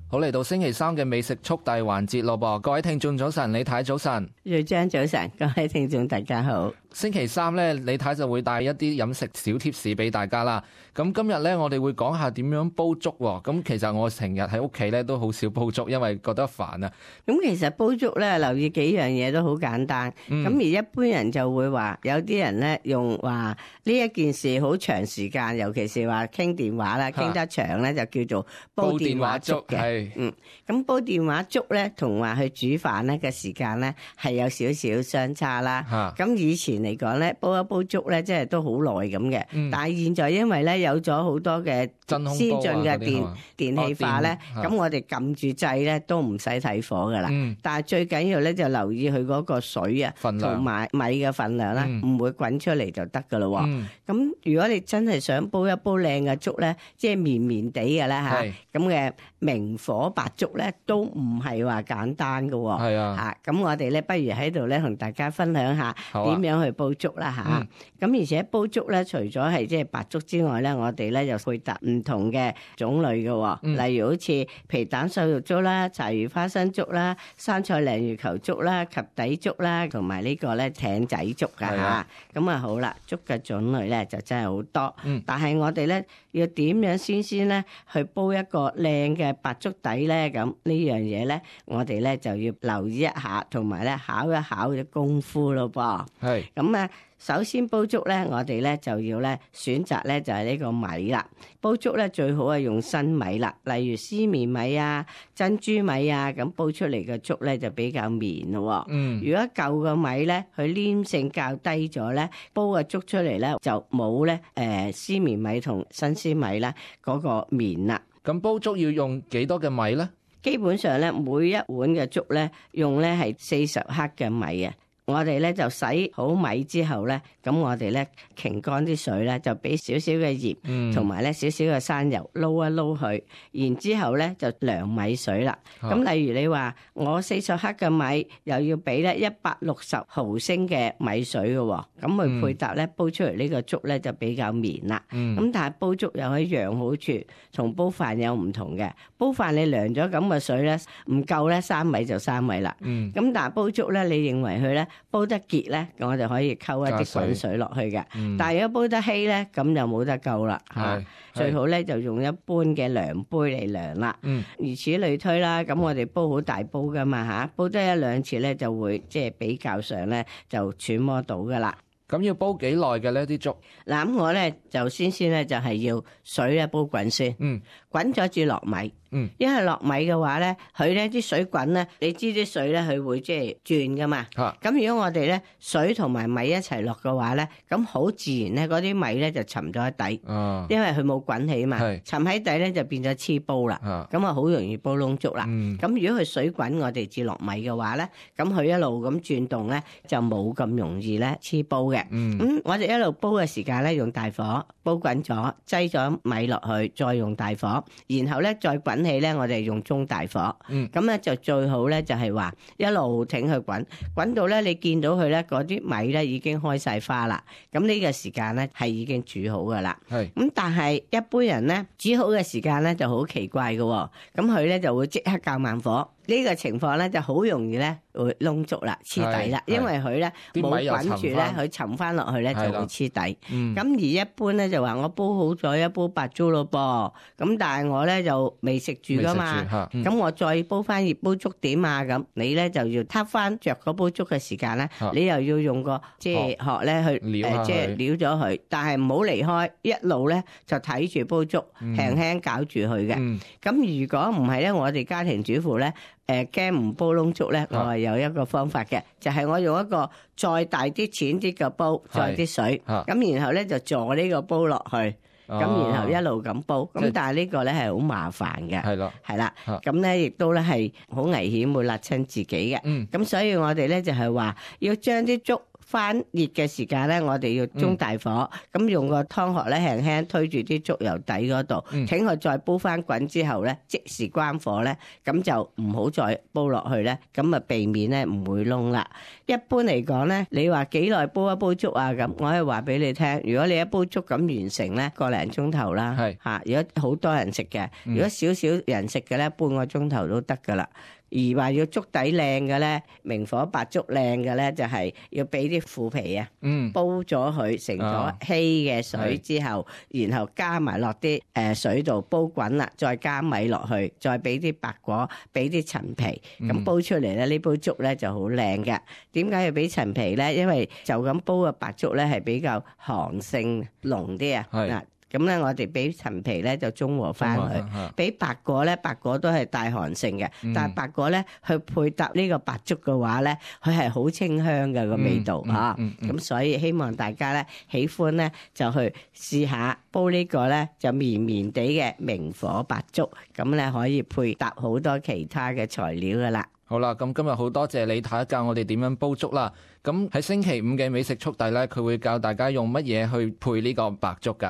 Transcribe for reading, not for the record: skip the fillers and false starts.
好，嚟到星期三嘅美食速遞環節咯噃，各位聽眾早晨，李太早晨，瑞章早晨，各位聽眾大家好。星期三咧，李太就會帶一啲飲食小貼士俾大家啦。咁今日咧，我哋會講下點樣煲粥喎。咁其實我成日喺屋企咧都好少煲粥，因為覺得煩啊。咁其實煲粥咧，留意幾樣嘢都好簡單。咁而一般人就會話，有啲人咧用話呢一件事好長時間，尤其是話傾電話啦，傾得長咧就叫做煲電話粥嘅。咁煲電話粥咧，同話去煮飯咧嘅時間咧係有少少相差啦。咁以前嚟講咧，煲一煲粥咧，即係都好耐咁嘅。但係現在因為咧有咗好多嘅先進嘅電氣化咧，咁我哋撳住掣咧都唔使睇火噶啦。但係最緊要咧就留意佢嗰個水啊，同埋米嘅份量啦，唔會滾出嚟就得噶咯。咁如果你真係想煲一煲靚嘅粥咧，即係綿綿地嘅啦吓，咁嘅明火白粥咧都唔係話簡單噶。係啊，咁我哋咧不如喺度咧同大家分享下點樣去煲粥啦吓。咁而且煲粥咧，除咗係即係白粥之外咧，我哋咧又配搭唔同嘅種類嘅，例如好似皮蛋瘦肉粥啦、柴魚花生粥啦、生菜鯪魚球粥啦、及第粥啦，同埋呢個咧艇仔粥噶吓。咁啊好啦，粥嘅種類咧就真係好多。但係我哋咧要點樣先咧去煲一個靚嘅白粥底咧？咁呢樣嘢咧，我哋咧就要留意一下，同埋咧考一考嘅功夫咯噃。係咁啊！首先煲粥咧，我哋咧就要咧選擇咧就係呢個米啦。煲粥咧最好係用新米啦，例如絲綿米啊、珍珠米啊，咁煲出嚟嘅粥咧就比較綿咯。如果舊嘅米咧，佢黏性較低咗咧，煲嘅粥出嚟咧就冇咧絲綿米同新絲米啦嗰個綿啦。咁煲粥要用幾多嘅米咧？基本上咧，每一碗嘅粥咧用咧係40克嘅米啊。我哋咧就洗好米之後咧，咁我哋咧擎乾啲水咧，就俾少少嘅鹽，同埋咧少少嘅生油撈一撈佢，然之後咧就涼米水啦。咁例如你話我40克嘅米，又要俾咧160毫升嘅米水嘅，咁去配搭咧煲出嚟呢個粥咧就比較綿啦。咁但係煲粥有一樣好處，同煲飯有唔同嘅。煲飯你涼咗咁嘅水咧唔夠咧生米就生米啦。咁但係煲粥咧，你認為佢咧煲得結咧，我就可以溝一啲滾水落去嘅。但係如果煲得稀咧，咁就冇得救啦嚇。最好咧就用一般嘅量杯嚟量啦。如此類推啦。咁我哋煲好大煲噶嘛嚇，煲得一兩次咧就會即係比較上咧就揣摩到噶啦。咁要煲幾耐嘅呢啲粥？嗱，咁我咧就先咧就係要水咧煲滾先。滾咗至落米。因為落米嘅話咧，佢咧啲水滾咧，你知啲水咧佢會即係轉噶嘛。咁如果我哋咧水同埋米一齊落嘅話咧，咁好自然咧嗰啲米咧就沉咗喺底。因為佢冇滾起嘛，沉喺底咧就變咗黐煲啦。咁啊好容易煲燶粥啦。咁如果佢水滾我哋至落米嘅話咧，咁佢一路咁轉動咧就冇咁容易咧黐煲嘅。咁我哋一路煲嘅時間咧用大火煲滾咗，擠咗米落去，再用大火，然後咧再滾起咧，我哋用中大火。咁咧就最好咧就係話一路挺佢滾，滾到咧你見到佢咧嗰啲米咧已經開晒花啦。咁呢個時間咧係已經煮好噶啦。咁但係一般人咧煮好嘅時間咧就好奇怪嘅。咁佢咧就會即刻較慢火。呢個情況咧就好容易咧會燶粥啦，黐底啦，因為佢咧冇滾住咧，佢沉翻落去咧就會黐底。咁而一般咧就話我煲好咗一煲白粥咯噃，咁但係我咧就未食住噶嘛，咁我再煲翻熱煲粥點啊？咁你咧就要撻翻着嗰煲粥嘅時間咧，你又要用個即係殼咧去即係撩咗佢，但係唔好離開，一路咧就睇住煲粥，輕輕攪住佢嘅。咁如果唔係咧，我哋家庭主婦咧。驚唔煲燶粥咧，我係有一個方法嘅，就係我用一個再大啲淺啲嘅煲，再啲水，咁然後咧就坐呢個煲落去，咁然後一路咁煲，咁但係呢個咧係好麻煩嘅，係啦，咁咧亦都咧係好危險，會辣親自己嘅，咁所以我哋咧就係話要將啲粥翻熱嘅時間咧，我哋要中大火，咁用個湯殼咧輕輕推住啲粥油底嗰度，請佢再煲翻滾之後咧，即時關火咧，咁就唔好再煲落去咧，咁啊避免咧唔會燶啦。一般嚟講咧，你話幾耐煲一煲粥啊？咁我可以話俾你聽，如果你一煲粥咁完成咧，個零鐘頭啦，嚇。如果好多人食嘅，如果少少人食嘅咧，半個鐘頭都得噶啦。而話要粥底靚嘅咧，明火白粥靚嘅咧，就係要俾啲腐皮啊，煲咗佢成咗稀嘅水之後，然後加埋落啲水度煲滾啦，再加米落去，再俾啲白果，俾啲陳皮，咁煲出嚟咧，呢煲粥咧就好靚嘅。點解要俾陳皮咧？因為就咁煲嘅白粥咧係比較寒性濃啲啊。嗱。咁咧，我哋俾陳皮咧就中和翻佢，俾白果咧，白果都係帶寒性嘅，但係白果咧去配搭呢個白粥嘅話咧，佢係好清香嘅個味道嚇。咁所以希望大家咧喜歡咧就去試下煲呢個咧就綿綿地嘅明火白粥，咁咧可以配搭好多其他嘅材料噶啦。好啦，咁今日好多謝李太教我哋點樣煲粥啦。咁喺星期五嘅美食速遞咧，佢會教大家用乜嘢去配呢個白粥噶。